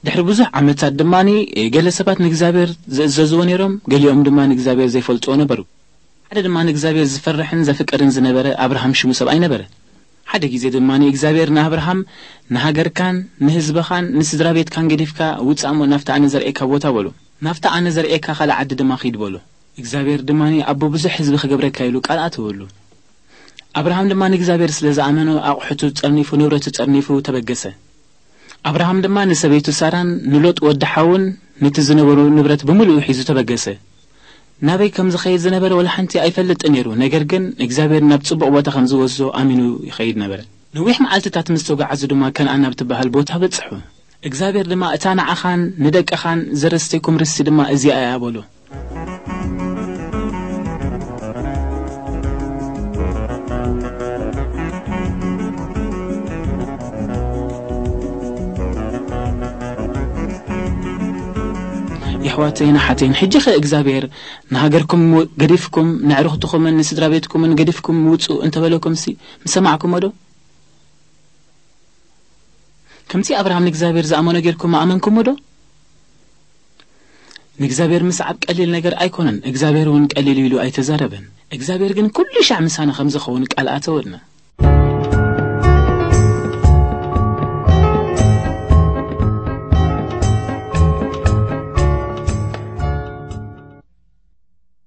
ድሕሪ ብዙሕ ዓመታት ድማ ገለ ሰባት ንእግዚኣብሔር ዝእዘዝዎ ነይሮም፣ ገሊኦም ድማ ንእግዚኣብሔር ዘይፈልጥዎ ነበሩ። ሓደ ድማ ንእግዚኣብሔር ዝፈርሕን ዘፍቅርን ዝነበረ ኣብርሃም ሽሙ ሰብኣይ ነበረ። ሓደ ግዜ ድማ እግዚኣብሔር ንኣብርሃም፣ "ንሃገርካን ንህዝብኻን ንስድራ ቤትካን ገዲፍካ ውጻእ እሞ ናብቲ ኣነ ዘርእየካ ቦታ" በሎ። "ናብቲ ኣነ ዘርእየካ ካልእ ዓዲ ድማ ኺድ" በሎ። እግዚኣብሔር ድማ፣ "ኣቦ ብዙሕ ህዝቢ ክገብረካ" ኢሉ ቃል ኣተወሉ። ኣብርሃም ድማ ንእግዚኣብሔር ስለ ዝኣመኖ ኣቑሑቱ ጸርኒፉ፣ ንብረቱ ጸርኒፉ ተበገሰ። ኣብርሃም ድማ ንሰበይቱ ሳራን ንሎጥ ወዲ ሓውን ነቲ ዝነበሩ ንብረት ብምሉኡ ሒዙ ተበገሰ። ናበይ ከም ዝኸይድ ዝነበረ ወላ ሓንቲ ኣይፈልጥን ነይሩ፣ ነገር ግን እግዚኣብሔር ናብ ጽቡቕ ቦታ ከም ዝወስዶ ኣሚኑ ይኸይድ ነበረ። ነዊሕ መዓልትታት ምስ ተጓዓዙ ድማ ከነኣን ናብ ትበሃል ቦታ በጽሑ። እግዚኣብሔር ድማ፣ "እታ ንዓኻን ንደቅኻን ዘረስተይኩም ርስቲ ድማ እዚኣ እያ" በሎ። የሕዋተይን ኣሓተይን፣ ሕጂ ኸ እግዚኣብሔር ንሃገርኩም ገዲፍኩም፣ ነዕርኽትኹምን ንስድራ ቤትኩምን ገዲፍኩም ውጹ እንተበለኩምሲ ምሰማዕኩሞ ዶ? ከምቲ ኣብርሃም ንእግዚኣብሔር ዝኣመኖ ጌርኩም ኣመንኩሞ ዶ? ንእግዚኣብሔር ምስዓብ ቀሊል ነገር ኣይኮነን። እግዚኣብሔር እውን ቀሊል ኢሉ ኣይተዛረበን። እግዚኣብሔር ግን ኩሉ ሻዕ ምሳና ከም ዝኸውን ቃል ኣተወልና።